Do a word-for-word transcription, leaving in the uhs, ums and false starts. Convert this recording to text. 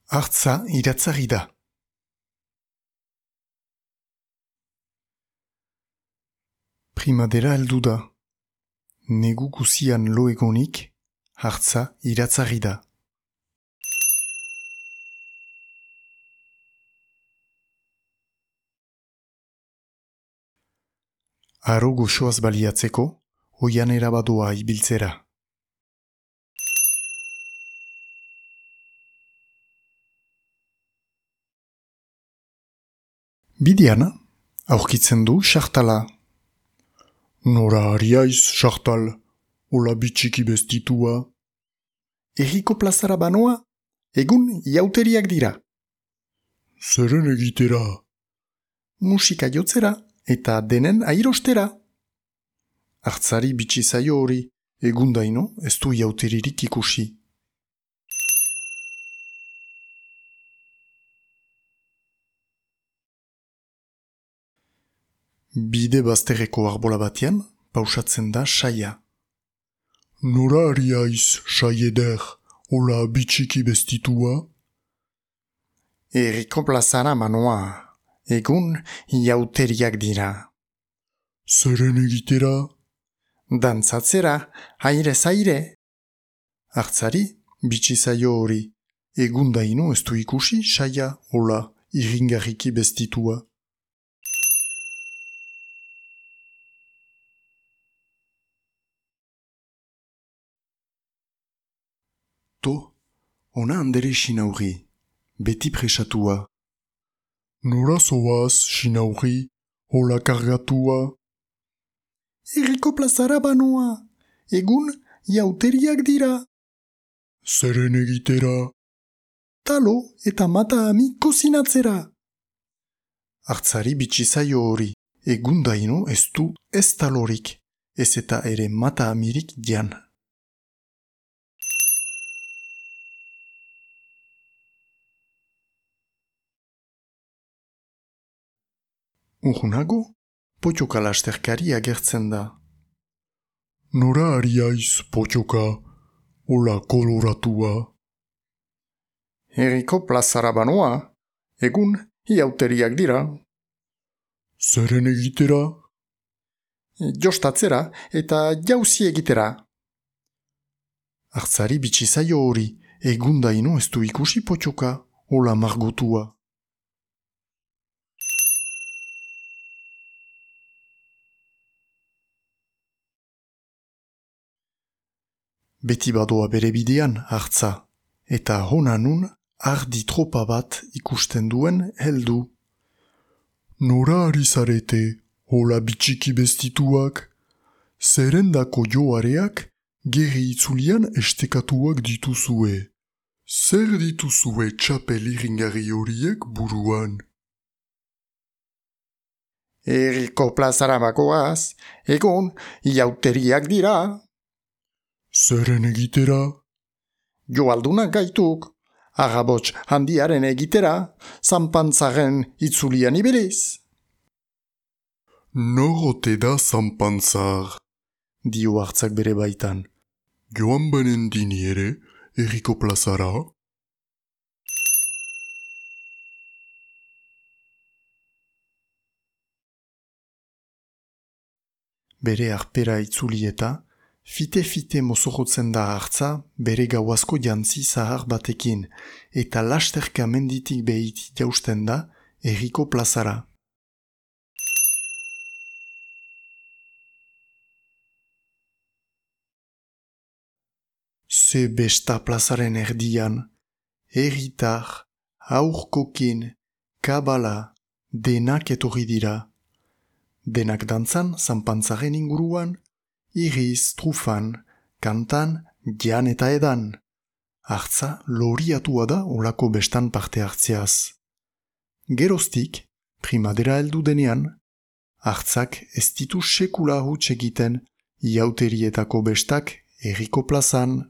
Hartza iratzarri da. Primadera heldu da. Negu guzian lo egonik, hartza iratzarri da. Aro goxoaz baliatzeko, oian erabadoa ibiltzera. Bidean, aurkitzen du xartala. Nora ariaiz, xartal, hola bitxiki bestitua. Herriko plazara banoa, egun jauteriak dira. Zeren egitera? Musika jotzera eta denen airostera. Hartzari bitxi zaio hori, egundaino ez du jauteririk ikusi. Bide bazterreko arbola batean, pausatzen da saia. Nora ariaiz, sai eder, hola bitxiki bestitua? Herriko plazara manoa, egun jauteriak dira. Zeren egitera? Dantzatzera, airez aire. Hartzari, bitxi zaio hori, egundaino ez du ikusi saia, hola irringarriki bestitua. To, ona handere sinauri, beti presatua. Nora zoaz, sinauri, hola kargatua? Herriko plazara banoa, egun jauteriak dira. Zeren egitera? Talo eta mata ami kozinatzera. Hartzari bitxi zaio hori, egundaino ez du ez talorik, ez eta ere mata amirik jan. Urrunago, potioka lasterkari agertzen da. Nora ariaiz, potioka, hola koloratua? Herriko plazara banoa, egun jauteriak dira. Zeren egitera? Jostatzera eta jauzi egitera. Hartzari bitxi zaio hori, egundaino ez du ikusi potioka, hola margotua. Beti badoa bere bidean hartza, eta hona nun ardi tropa bat ikusten duen heldu. Nora ari zarete, hola bitxiki bestituak? Zerendako joareak gerri itzulian estekatuak dituzue. Zer dituzue txapel irringarri horiek buruan? Herriko plazara bakoaz, egun jauteriak dira. Zeren egitera? Joaldunak gaituk, agabots handiaren egitera, zanpantzaren itzulian ibiliz. Norote da zanpantzar? Dio hartzak bere baitan. Joan banen dini ere, herriko plazara? Bere arpera itzuli eta, fite-fite mozorotzen da hartza bere gauazko jantzi zahar batekin, eta lasterka menditik behiti jausten da herriko plazara. Ze besta plazaren erdian, herritar, aurkokin, kabala, denak etorri dira. Denak dantzan zanpantzaren inguruan, iriz, trufan, kantan, jan eta edan. Hartza loriatua da olako bestan parte hartzeaz. Geroztik, primadera heldu denean, hartzak ez ditu sekula huts egiten jauterietako bestak herriko plazan.